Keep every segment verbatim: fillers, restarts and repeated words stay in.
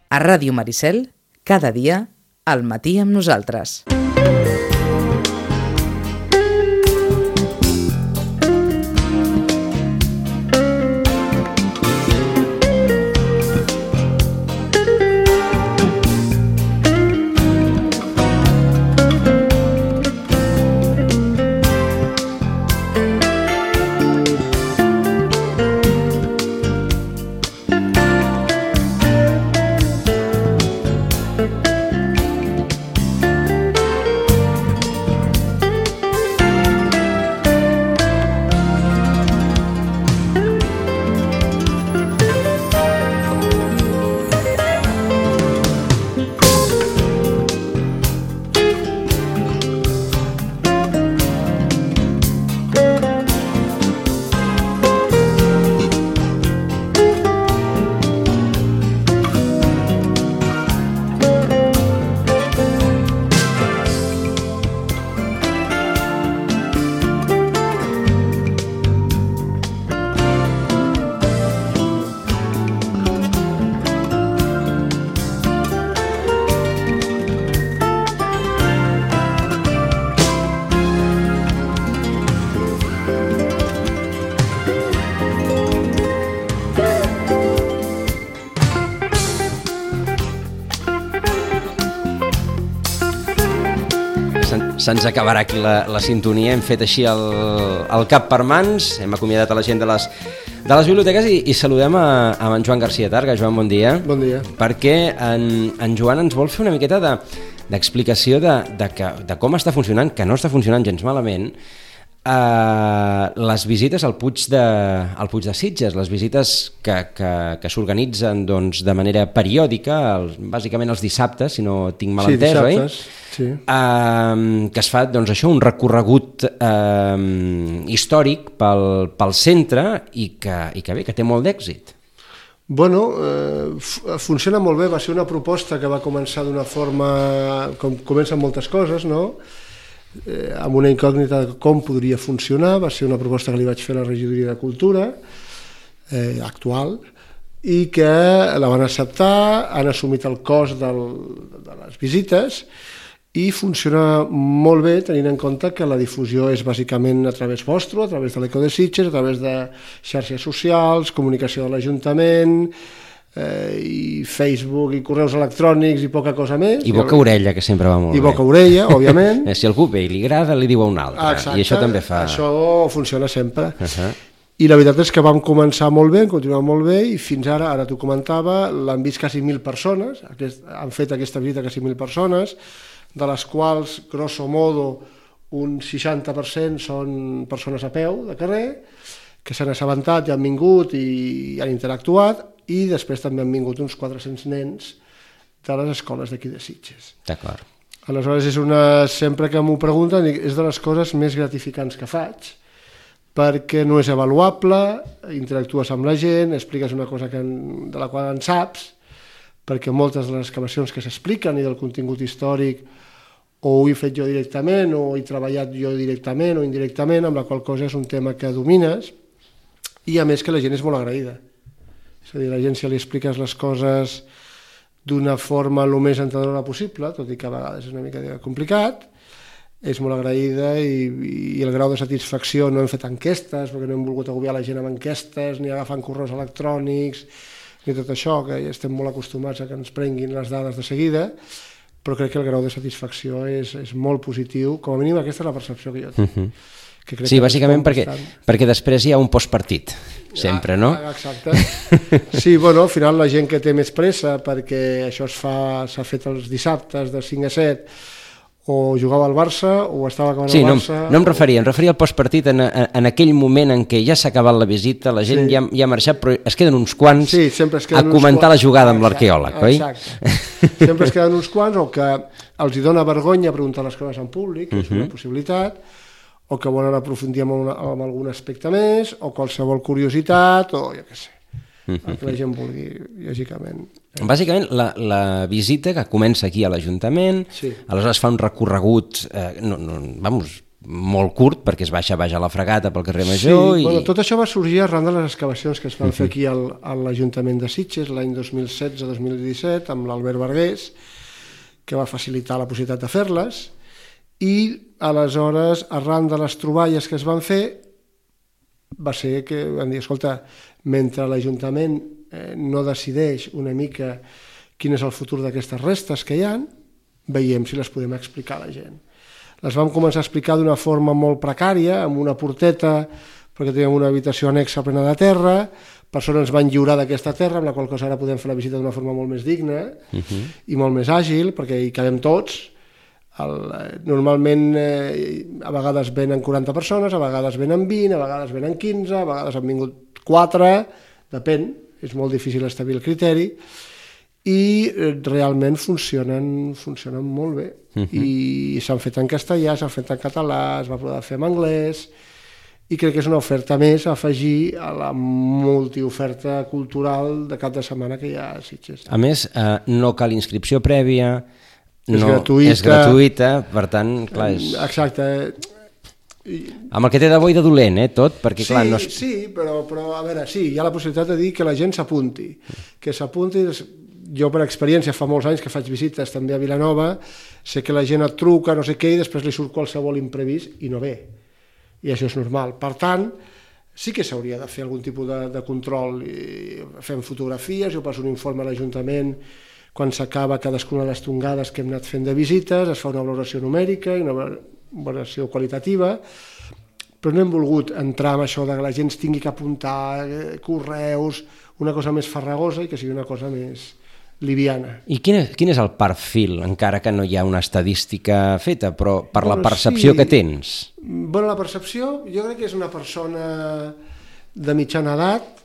A Ràdio Maricel, cada dia, al matí amb nosaltres. Se'ns acabarà aquí la, la sintonia, hem fet així el, el cap per mans, hem acomiadat a la gent de les, de les biblioteques i, i saludem a, a en Joan García Targa. Joan, bon dia. Bon dia. Perquè en, en Joan ens vol fer una miqueta de, d'explicació de, de, que, de com està funcionant, que no està funcionant gens malament, Uh, les visites al Puig de, al Puig de Sitges, les visites que, que, que s'organitzen doncs, de manera periòdica, els, bàsicament els dissabtes, si no tinc mal entès, sí, oi? Sí. Uh, que es fa doncs, això, un recorregut uh, històric pel, pel centre i que, i que bé, que té molt d'èxit. Bueno, eh, funciona molt bé, va ser una proposta que va començar d'una forma, com comencen moltes coses, no?, Eh, amb una incògnita de com podria funcionar. Va ser una proposta que li vaig fer a la regidoria de Cultura eh, actual i que la van acceptar, han assumit el cost del, de les visites i funciona molt bé tenint en compte que la difusió és bàsicament a través vostre, a través de l'Eco de Sitges, a través de xarxes socials, comunicació de l'Ajuntament, Eh, i Facebook i correus electrònics i poca cosa més. I boca-orella, que sempre va molt I bé. I boca-orella, òbviament. Si algú ve i li agrada, li diu a un altre. Exacte, i això també fa... això funciona sempre. Uh-huh. I la veritat és que vam començar molt bé, continuem molt bé, i fins ara, ara t'ho comentava, l'han vist quasi mil persones, aquest, han fet aquesta visita quasi mil persones, de les quals, grosso modo, un seixanta per cent són persones a peu, de carrer, que s'han assabentat i han vingut i han interactuat, i després també han vingut uns quatre-cents nens de les escoles d'aquí de Sitges. D'acord. Aleshores, és una, sempre que m'ho pregunten, és de les coses més gratificants que faig, perquè no és avaluable, interactues amb la gent, expliques una cosa que en, de la qual en saps, perquè moltes de les excavacions que s'expliquen i del contingut històric o ho he fet jo directament o he treballat jo directament o indirectament, amb la qual cosa és un tema que domines, i a més que la gent és molt agraïda. És a dir, la gent, si li expliques les coses d'una forma el més entenedora possible, tot i que a vegades és una mica complicat, és molt agraïda i, i el grau de satisfacció, no hem fet enquestes, perquè no hem volgut agobiar la gent amb enquestes, ni agafant correus electrònics, ni tot això, que ja estem molt acostumats a que ens prenguin les dades de seguida, però crec que el grau de satisfacció és, és molt positiu, com a mínim aquesta és la percepció que jo tinc. Uh-huh. Que sí, bàsicament perquè, perquè després hi ha un postpartit, sempre, no? Ah, exacte. Sí, bueno, al final la gent que té més pressa, perquè això es fa, s'ha fet els dissabtes de cinc a set, o jugava al Barça, o estava acabant sí, el no, Barça... no em referia, em referia al postpartit en, en, en aquell moment en què ja s'ha acabat la visita, la gent sí. ja, ja ha marxat, però es queden uns quants sí, es a comentar quants. La jugada amb l'arqueòleg, oi? Exacte. Sempre es queden uns quants, o que els hi dona vergonya preguntar les coses en públic, que és una uh-huh. possibilitat, o que volen aprofundir en, una, en algun aspecte més, o qualsevol curiositat, o jo què sé, el que la gent vulgui, lògicament. Bàsicament, la, la visita que comença aquí a l'Ajuntament, sí. aleshores fa un recorregut, eh, no, no, vamos, molt curt, perquè es baixa baix a la Fragata pel carrer Major. Sí, i... bueno, tot això va sorgir arran de les excavacions que es van fer aquí al, a l'Ajuntament de Sitges l'any dos mil setze dos mil disset amb l'Albert Vergués, que va facilitar la possibilitat de fer-les, i aleshores, arran de les troballes que es van fer, va ser que van dir, escolta, mentre l'Ajuntament eh, no decideix una mica quin és el futur d'aquestes restes que hi ha, veiem si les podem explicar a la gent. Les vam començar a explicar d'una forma molt precària, amb una porteta, perquè teníem una habitació anexa plena de terra, per sort ens van lliurar d'aquesta terra, amb la qual cosa ara podem fer la visita d'una forma molt més digna uh-huh. i molt més àgil, perquè hi cabem tots. El, normalment eh, a vegades venen quaranta persones, a vegades venen vint, a vegades venen quinze, a vegades han vingut quatre, depèn, és molt difícil establir el criteri, i eh, realment funcionen, funcionen molt bé. Uh-huh. I s'han fet en castellà, s'han fet en català, es va poder fer en anglès, i crec que és una oferta més a afegir a la multioferta cultural de cap de setmana que hi ha a Sitges. A més, eh, no cal inscripció prèvia, és, no, gratuïta, és gratuïta, per tant, clar, és... Exacte. Amb el que té de bo i de dolent, eh, tot, perquè sí, clar... No és... Sí, però, però a veure, sí, hi ha la possibilitat de dir que la gent s'apunti, que s'apunti. Jo per experiència fa molts anys que faig visites també a Vilanova, sé que la gent et truca, no sé què, i després li surt qualsevol imprevist i no ve. I això és normal. Per tant, sí que s'hauria de fer algun tipus de, de control. I fem fotografies, jo passo un informe a l'Ajuntament quan s'acaba cadascuna de les tongades que hem anat fent de visites, es fa una valoració numèrica i una valoració qualitativa, però no hem volgut entrar en això de que la gent tingui que apuntar correus, una cosa més farragosa i que sigui una cosa més liviana. I quin és, quin és el perfil, encara que no hi ha una estadística feta, però per bueno, la percepció sí. que tens? Bueno, la percepció, jo crec que és una persona de mitjana edat,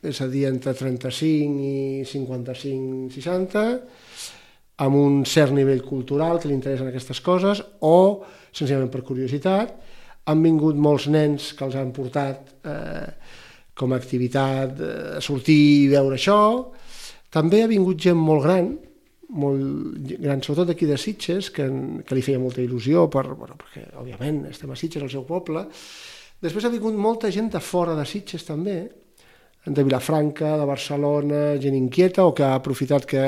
és a dir, entre trenta-cinc i cinquanta-cinc seixanta, amb un cert nivell cultural que li interessen aquestes coses, o, senzillament per curiositat, han vingut molts nens que els han portat eh, com a activitat a eh, sortir i veure això. També ha vingut gent molt gran, molt gran, sobretot d'aquí de Sitges, que, que li feia molta il·lusió, per, bueno, perquè, òbviament, estem a Sitges, al seu poble. Després ha vingut molta gent de fora de Sitges, també, de Vilafranca, de Barcelona, gent inquieta, o que ha aprofitat que,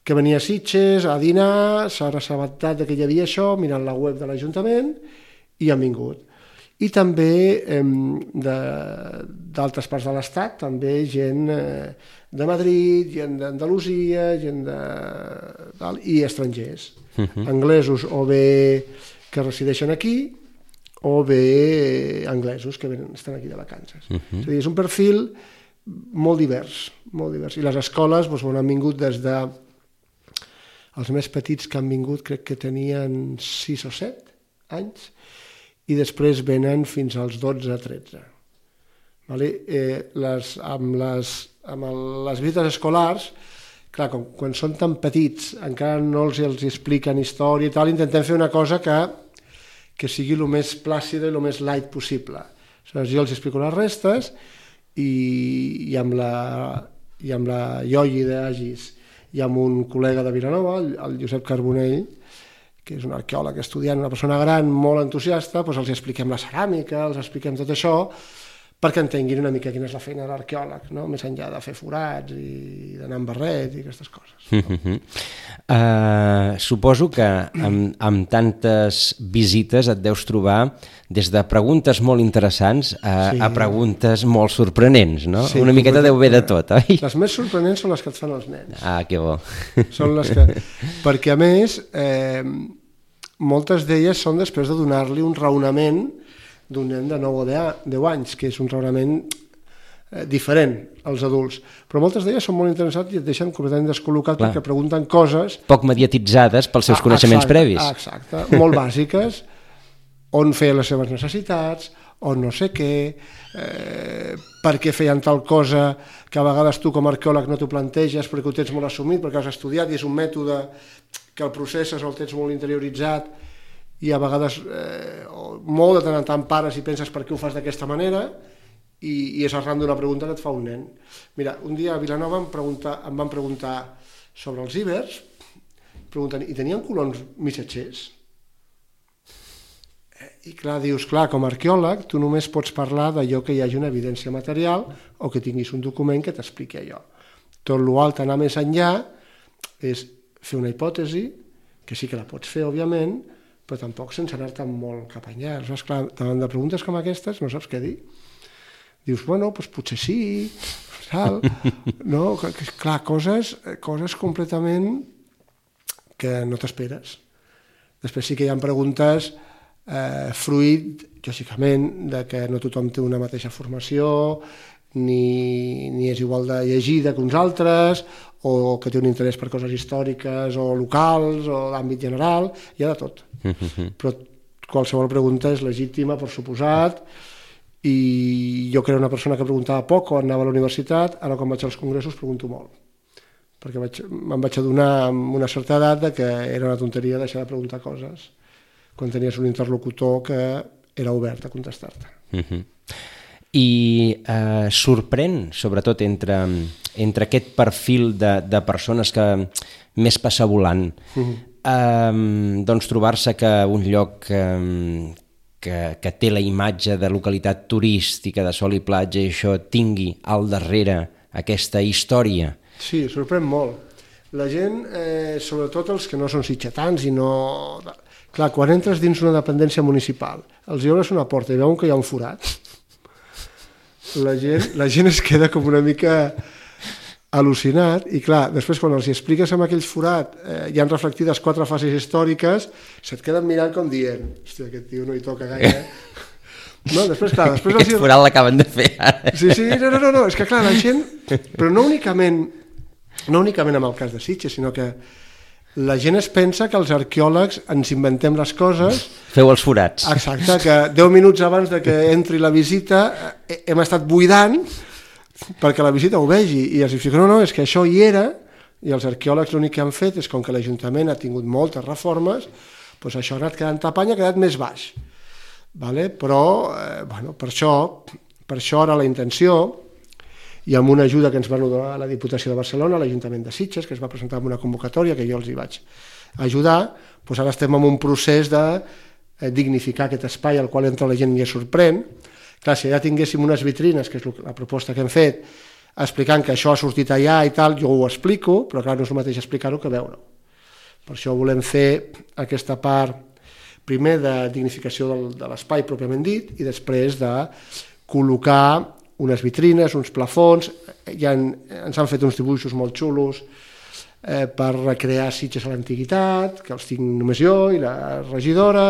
que venia a Sitges a dinar, s'ha assabentat que hi havia això, mirant la web de l'Ajuntament, i han vingut. I també eh, d'altres parts de l'Estat, també gent eh, de Madrid, gent d'Andalusia, gent de... i estrangers, uh-huh. anglesos o bé que resideixen aquí, o bé anglesos que venen, estan aquí de vacances. Uh-huh. És a dir, és un perfil molt divers, molt divers. I les escoles doncs, han vingut des de... Els més petits que han vingut crec que tenien sis o set anys, i després venen fins als dotze a tretze. Vale? Eh, les, amb, les, amb el, les visites escolars, clar, com, quan són tan petits, encara no els, els expliquen història i tal, intentem fer una cosa que que sigui el més plàcida i el més light possible. Aleshores, jo els explico les restes i, i, amb, la, i amb la Ioi d'Agis i amb un col·lega de Vilanova, el, el Josep Carbonell, que és un arqueòleg estudiant, una persona gran, molt entusiasta, doncs els expliquem la ceràmica, els expliquem tot això, perquè entenguin una mica quina és la feina de l'arqueòleg, no? Més enllà de fer forats i d'anar amb barret i aquestes coses. No? Uh-huh. uh, suposo que amb, amb tantes visites et deus trobar des de preguntes molt interessants a, sí. a preguntes molt sorprenents, no? Sí, una miqueta deu haver de tot, oi? Les més sorprenents són les que et fan els nens. Ah, que bo. Són les que... Perquè, a més, eh, moltes d'elles són després de donar-li un raonament d'un nen de nou o deu anys, que és un raonament eh, diferent als adults. Però moltes d'elles són molt interessants i et deixen completament descol·locat Clar. Perquè pregunten coses... Poc mediatitzades pels seus ah, coneixements exacte, previs. Ah, exacte, molt bàsiques, on feien les seves necessitats, on no sé què, eh, per què feien tal cosa que a vegades tu com a arqueòleg no t'ho planteges perquè ho tens molt assumit, perquè has estudiat i és un mètode que el processes o el tens molt interioritzat, i a vegades eh, molt de tant en tant pares i penses per què ho fas d'aquesta manera i, i és arran d'una pregunta que et fa un nen. Mira, un dia a Vilanova em, pregunta, em van preguntar sobre els íbers, pregunten, i tenien colons missatgers? I clar, dius, clar, com a arqueòleg tu només pots parlar d'allò que hi hagi una evidència material o que tinguis un document que t'expliqui allò. Tot l'altre, anar més enllà, és fer una hipòtesi, que sí que la pots fer, òbviament, però tampoc sense anar-te molt cap enllà. Aleshores, clar, davant de preguntes com aquestes no saps què dir. Dius, bueno, doncs potser sí, sal, no? Clar, coses, coses completament que no t'esperes. Després sí que hi ha preguntes eh, fruit, lògicament, de que no tothom té una mateixa formació, ni, ni és igual de llegida que uns altres, o que té un interès per coses històriques o locals o d'àmbit general, hi ha de tot. Però qualsevol pregunta és legítima, per suposat, i jo que era una persona que preguntava poc quan anava a la universitat, ara quan vaig als congressos pregunto molt, perquè vaig, me'n vaig adonar amb una certa edat de que era una tonteria deixar de preguntar coses quan tenies un interlocutor que era obert a contestar-te. Uh-huh. I eh, sorprèn, sobretot, entre, entre aquest perfil de, de persones que més passa volant, uh-huh. eh, doncs trobar-se que un lloc eh, que, que té la imatge de localitat turística, de sol i platja, i això tingui al darrere aquesta història. Sí, sorprèn molt. La gent, eh, sobretot els que no són sitgetans i no... Clar, quan entres dins una dependència municipal, els hi obres una porta i veuen que hi ha un forat, la gent, la gent es queda com una mica al·lucinat i clar, després quan els hi expliques amb aquell forat eh, hi han reflectides quatre fases històriques, se't queden mirant com dient, hòstia, aquest tio no hi toca gaire. No, després, clar, després aquest els... forat l'acaben de fer ara. Sí, sí, no, no, no, és que clar, la gent, però no únicament, no únicament amb el cas de Sitges, sinó que la gent es pensa que els arqueòlegs ens inventem les coses... Feu els forats. Exacte, que deu minuts abans de que entri la visita hem estat buidant perquè la visita ho vegi, i els dic, no, no, és que això hi era, i els arqueòlegs l'únic que han fet és, com que l'Ajuntament ha tingut moltes reformes, doncs això ha anat quedant tapany, ha quedat més baix. Vale? Però, eh, bueno, per això, per això ara la intenció, i amb una ajuda que ens va donar la Diputació de Barcelona, l'Ajuntament de Sitges, que es va presentar amb una convocatòria que jo els hi vaig ajudar, doncs ara estem en un procés de dignificar aquest espai al qual entra la gent i es sorprèn. Clar, si ja tinguéssim unes vitrines, que és la proposta que hem fet, explicant que això ha sortit allà i tal, jo ho explico, però clar, no és el mateix explicar-ho que veure-ho. Per això volem fer aquesta part, primer de dignificació del, de l'espai pròpiament dit, i després de col·locar unes vitrines, uns plafons, ja en, ens han fet uns dibuixos molt xulos eh, per recrear Sitges a l'antiguitat, que els tinc només jo i la regidora,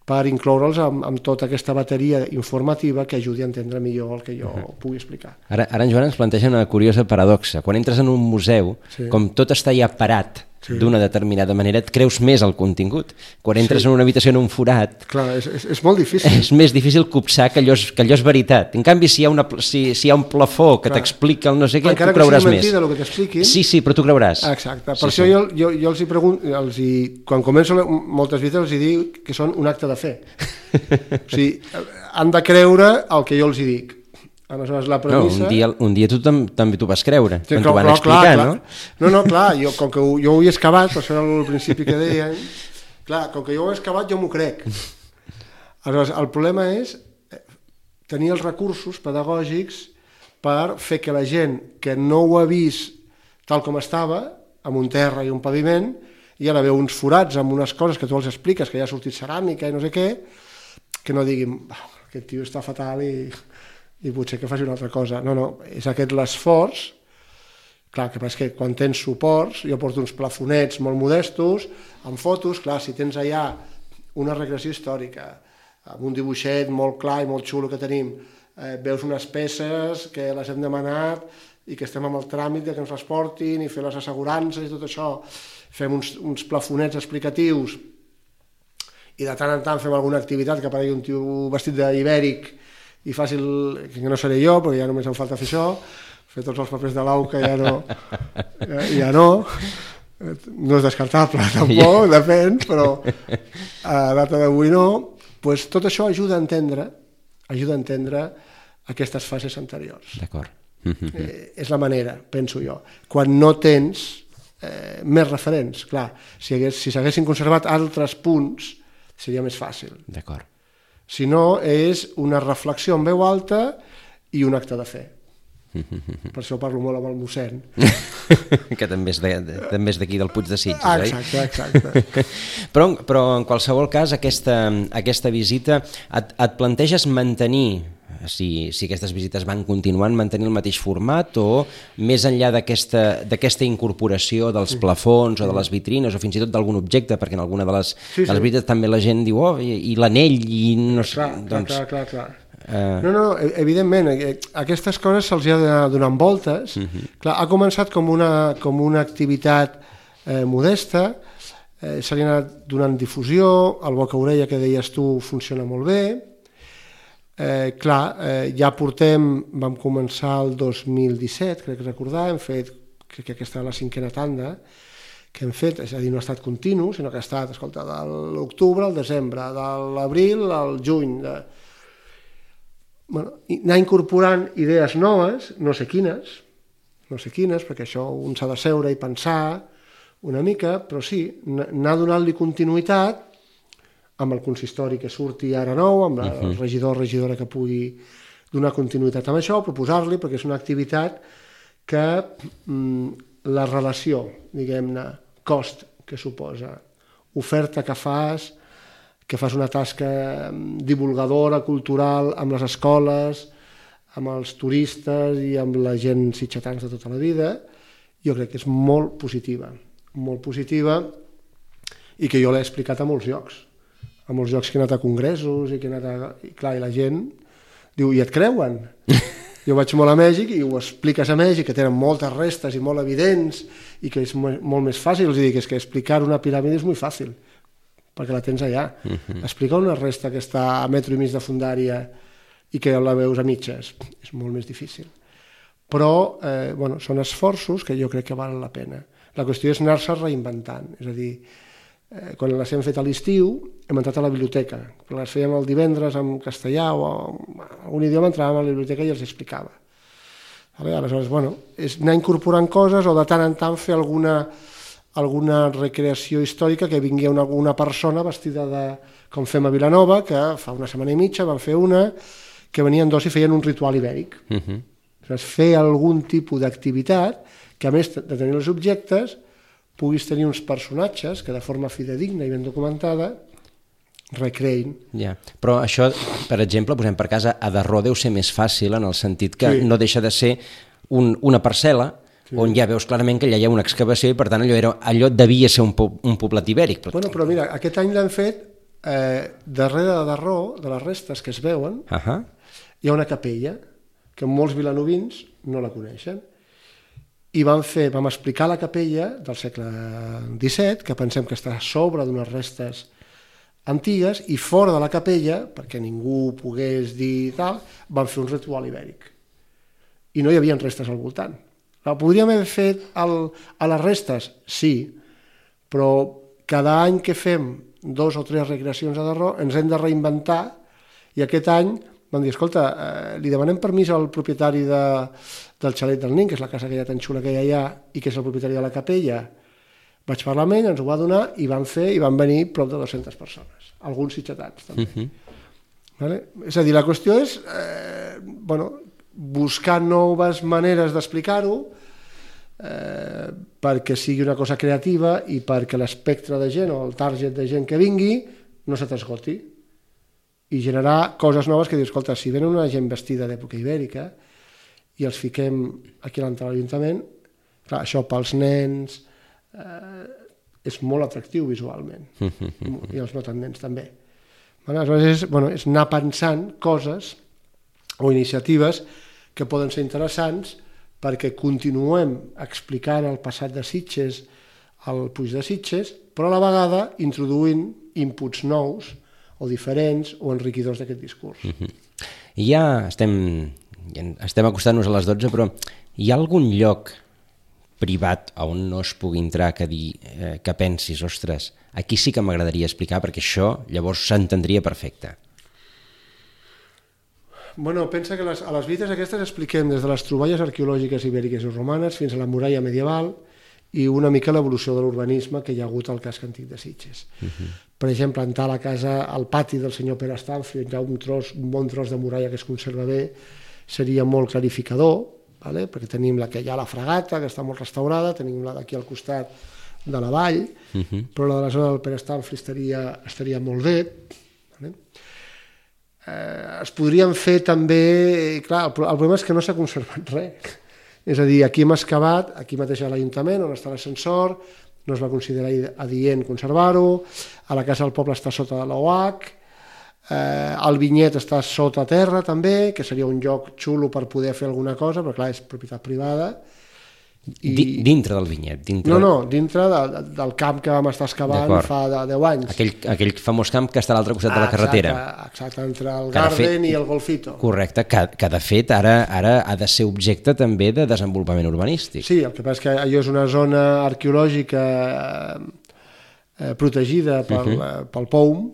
per incloure'ls amb, amb tota aquesta bateria informativa que ajudi a entendre millor el que jo uh-huh. pugui explicar. Ara, ara en Joan ens planteja una curiosa paradoxa. Quan entres en un museu, sí. com tot està ja parat sí. d'una determinada manera, et creus més el contingut. Quan entres sí. en una habitació en un forat... Clar, és, és, és molt difícil. És més difícil copsar que allò és, que allò és veritat. En canvi, si hi ha, una, si, si hi ha un plafó que t'explica el no sé què, tu creuràs més. Encara que sigui mentida el que t'expliquin... Sí, sí, però tu creuràs. Exacte. Per sí, això sí. jo, jo, jo els hi pregunto, els hi, quan començo moltes visites els hi dic que són un acte de fe. O sigui, han de creure el que jo els hi dic. Aleshores, la premissa... No, un dia, un dia tu tam, també t'ho vas creure, sí, quan clar, t'ho van clar, explicar, clar, no? Clar. No, no, clar, jo, com que ho, jo ho he excavat, per això era el principi que deien, clar, com que jo ho he excavat jo m'ho crec. Aleshores, el problema és tenir els recursos pedagògics per fer que la gent que no ho ha vist tal com estava, amb un terra i un paviment, i ara veu uns forats amb unes coses que tu els expliques, que ja ha sortit ceràmica i no sé què, que no diguin, aquest tio està fatal i... i potser que faci una altra cosa. No, no, és aquest l'esforç. Clar, que passa que quan tens suports, jo porto uns plafonets molt modestos, amb fotos, clar, si tens allà una regressió històrica, amb un dibuixet molt clar i molt xulo que tenim, eh, veus unes peces que les hem demanat i que estem amb el tràmit de que ens les portin i fer les assegurances i tot això, fem uns, uns plafonets explicatius i de tant en tant fem alguna activitat que aparegui un tio vestit d'ibèric i fàcil, que no seré jo, perquè ja només em falta fer això, fer tots els papers de l'A U C A ja no, ja, ja no, no és descartable tampoc, depèn, però a data d'avui no, pues tot això ajuda a entendre, ajuda a entendre aquestes fases anteriors. D'acord. Eh, és la manera, penso jo. Quan no tens eh, més referents, clar, si, hagués, si s'haguessin conservat altres punts, seria més fàcil. D'acord. Si no, és una reflexió en veu alta i un acte de fe. Per això parlo molt amb el mossèn. Que també és, de, de, també és d'aquí del Puig de Sitges, ah, oi? exacte, exacte. però, però en qualsevol cas aquesta, aquesta visita et, et planteges mantenir, si, si aquestes visites van continuant, mantenir el mateix format o més enllà d'aquesta d'aquesta incorporació dels plafons o de les vitrines o fins i tot d'algun objecte, perquè en alguna de les, sí, sí. de les visites també la gent diu oh, i, i l'anell i no sé... Clar, doncs, clar, clar, clar. Uh... No, no, evidentment, aquestes coses se'ls ha d'anar donant voltes. Uh-huh. Clar, ha començat com una, com una activitat eh, modesta, eh, se li ha anat donant difusió, el boca-orella que deies tu funciona molt bé. Eh, clar, eh, ja portem, vam començar el dos mil disset, crec recordar, hem fet, crec que aquesta és la cinquena tanda, que hem fet, és a dir, no ha estat continu, sinó que ha estat, escolta, de l'octubre al desembre, de l'abril al juny, de... Bueno, anar incorporant idees noves, no sé quines, no sé quines, perquè això un s'ha de seure i pensar una mica, però sí, anar donant-li continuïtat amb el consistori que surti ara nou, amb la, el regidor o regidora que pugui donar continuïtat amb això, proposar-li, perquè és una activitat que mm, la relació, diguem-ne, cost que suposa, oferta que fas, que fas una tasca divulgadora, cultural, amb les escoles, amb els turistes i amb la gent sitgetans de tota la vida, jo crec que és molt positiva, molt positiva i que jo l'he explicat a molts llocs, a molts llocs que he anat a congressos i que he anat a... I clar, i la gent diu, i et creuen? Jo vaig molt a Mèxic i ho expliques a Mèxic, que tenen moltes restes i molt evidents i que és molt més fàcil, els dic, és que explicar una piràmide és molt fàcil, perquè la tens allà. Uh-huh. Explicar una resta que està a metro i mig de fundària i que la veus a mitges és molt més difícil. Però eh, bueno, són esforços que jo crec que valen la pena. La qüestió és anar-se reinventant. És a dir, eh, quan les hem fet a l'estiu, hem entrat a la biblioteca. Quan les fèiem el divendres en castellà o en algun idioma, entràvem a la biblioteca i els explicava. Aleshores, bueno, és anar incorporant coses o de tant en tant fer alguna... alguna recreació històrica que vingui una, una persona vestida de, com fem a Vilanova, que fa una setmana i mitja van fer una, que venien dos i feien un ritual ibèric. Uh-huh. Aleshores, fer algun tipus d'activitat que, a més de tenir els objectes, puguis tenir uns personatges que de forma fidedigna i ben documentada recreïn. Ja. Però això, per exemple, posem per casa, a Darró deu ser més fàcil en el sentit que sí. No deixa de ser un, una parcel·la sí. On ja veus clarament que allà hi ha una excavació i per tant allò, era, allò devia ser un, po, un poblat ibèric. Però... Bueno, però mira, aquest any l'han fet eh, darrere de Darró, de les restes que es veuen, uh-huh. Hi ha una capella que molts vilanovins no la coneixen i vam, fer, vam explicar la capella del segle disset, que pensem que està a sobre d'unes restes antigues, i fora de la capella, perquè ningú pogués dir tal, van fer un ritual ibèric i no hi havia restes al voltant. Podríem haver fet el, a les restes? Sí, però cada any que fem dos o tres recreacions a Darró ens hem de reinventar i aquest any vam dir, escolta, eh, li demanem permís al propietari de, del xalet del Nin, que és la casa aquella tan xula que hi ha allà i que és el propietari de la capella. Vaig parlar amb ell, ens ho va donar i van fer i van venir prop de dues-centes persones, alguns sitgetans també. Uh-huh. Vale? És a dir, la qüestió és eh, bueno, buscar noves maneres d'explicar-ho eh, perquè sigui una cosa creativa i perquè l'espectre de gent o el target de gent que vingui no se t'esgoti i generar coses noves que dius, escolta, si venen una gent vestida d'època ibèrica i els fiquem aquí a l'entrada de l'Ajuntament, clar, això pels nens eh, és molt atractiu visualment i els no tan nens també. Aleshores és, bueno, és anar pensant coses o iniciatives que poden ser interessants perquè continuem explicant el passat de Sitges al Puig de Sitges, però a la vegada introduint inputs nous o diferents o enriquidors d'aquest discurs. Uh-huh. I ja estem, ja estem acostant-nos a les dotze, però hi ha algun lloc privat on no es pugui entrar que dir eh, que pensis, ostres, aquí sí que m'agradaria explicar perquè això llavors s'entendria perfecte. Bueno, pensa que les, a les visites aquestes expliquem des de les troballes arqueològiques ibèriques i romanes fins a la muralla medieval i una mica l'evolució de l'urbanisme que hi ha hagut al casc antic de Sitges. Uh-huh. Per exemple, entrar a la casa, al pati del senyor Pere Estalfi, on hi ha un, tros, un bon tros de muralla que es conserva bé, seria molt clarificador, vale? Perquè tenim la que hi ha la Fragata, que està molt restaurada, tenim la d'aquí al costat de la vall, uh-huh. però la de la zona del Pere Estalfi estaria, estaria molt bé. Vale? Eh, es podrien fer també... Clar, el, el problema és que no s'ha conservat res. És a dir, aquí hem excavat, aquí mateix a l'Ajuntament, on està l'ascensor, no es va considerar adient conservar-ho, a la Casa del Poble està sota de l'O H, eh, el Vinyet està sota terra també, que seria un lloc xulo per poder fer alguna cosa, però clar, és propietat privada. I... Dintre del Vinyet? Dintre... No, no, dintre de, de, del camp que vam estar excavant fa de deu anys. Aquell, aquell famós camp que està a l'altre costat ah, de la carretera. Exacte, exacte, entre el que Garden fet... i el Golfito. Correcte, que, que de fet ara, ara ha de ser objecte també de desenvolupament urbanístic. Sí, el que passa és que allò és una zona arqueològica eh, protegida pel, uh-huh. eh, pel P O U M,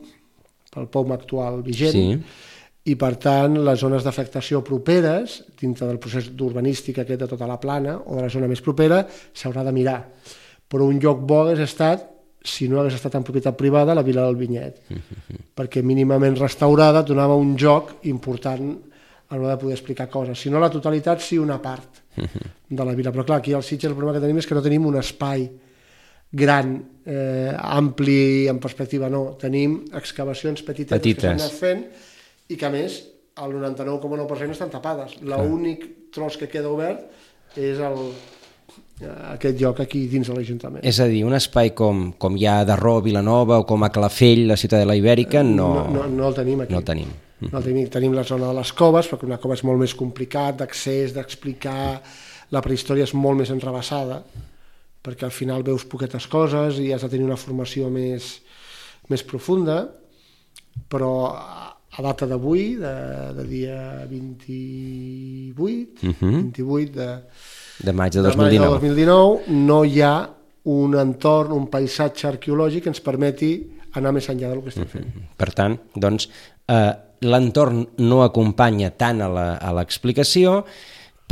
pel P O U M actual vigent, sí. I per tant les zones d'afectació properes dintre del procés d'urbanístic aquest de tota la plana o de la zona més propera s'haurà de mirar, però un lloc bo hagués estat, si no hagués estat en propietat privada, la Vila del Vinyet, uh-huh. perquè mínimament restaurada donava un joc important a l'hora de poder explicar coses, si no la totalitat sí una part uh-huh. de la vila, però clar, aquí al Sitges el problema que tenim és que no tenim un espai gran, eh, ampli en perspectiva, no, tenim excavacions petites, petites. que s'han anat fent i que a més el noranta-nou coma nou per cent estan tapades. L'únic tros que queda obert és el, aquest lloc aquí dins de l'Ajuntament. És a dir, un espai com, com hi ha a Darró, Vilanova o com a Calafell, la ciutat de la Ibèrica, no... No, no, no el tenim aquí. No el tenim. No el tenim. Tenim la zona de les coves, perquè una cova és molt més complicat d'accés, d'explicar, la prehistòria és molt més enrevessada, perquè al final veus poquetes coses i has de tenir una formació més, més profunda, però a data d'avui, de, de dia vint-i-vuit, uh-huh. vint-i-vuit de, de maig de dos mil dinou. de dos mil dinou, no hi ha un entorn, un paisatge arqueològic que ens permeti anar més enllà del que estem fent. Uh-huh. Per tant, doncs, eh, l'entorn no acompanya tant a l'explicació,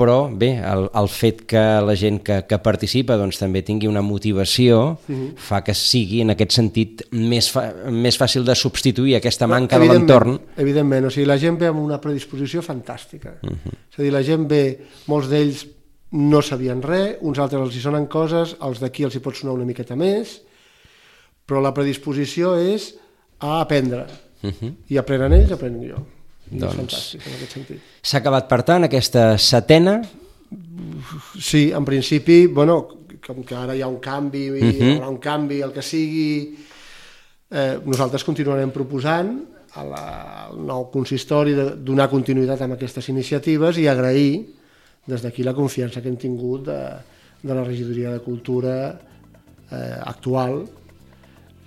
però bé, el, el fet que la gent que, que participa doncs, també tingui una motivació uh-huh. fa que sigui en aquest sentit més, fa, més fàcil de substituir aquesta manca de l'entorn. Evidentment, o sigui, la gent ve amb una predisposició fantàstica. Uh-huh. És a dir, la gent ve, molts d'ells no sabien res, uns altres els hi sonen coses, els d'aquí els hi pot sonar una miqueta més, però la predisposició és a aprendre. Uh-huh. I aprenen ells, aprenen jo. Doncs, és fantàstic, en aquest sentit. S'ha acabat, per tant, aquesta setena? Sí, en principi, bueno, com que ara hi ha un canvi, uh-huh. hi haurà un canvi, el que sigui, eh, nosaltres continuarem proposant a la, al nou consistori de donar continuïtat amb aquestes iniciatives i agrair des d'aquí la confiança que hem tingut de, de la Regidoria de Cultura eh, actual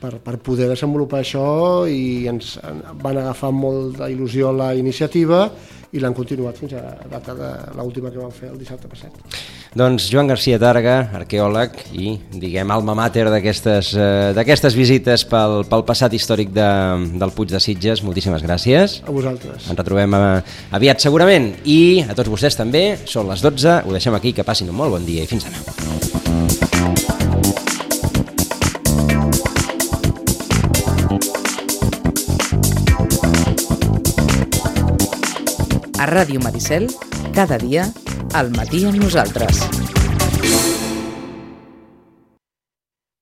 per, per poder desenvolupar això, i ens van agafar molt d'il·lusió la iniciativa i l'han continuat fins a data de l'última que vam fer el dissabte passat. Doncs Joan Garcia Targa, arqueòleg i, diguem, alma mater d'aquestes eh, d'aquestes visites pel, pel passat històric de, del Puig de Sitges, moltíssimes gràcies. A vosaltres. Ens retrobem aviat segurament, i a tots vostès també. Són les dotze, ho deixem aquí, que passin un molt bon dia i fins demà. A Ràdio Maricel, cada dia, al matí amb nosaltres.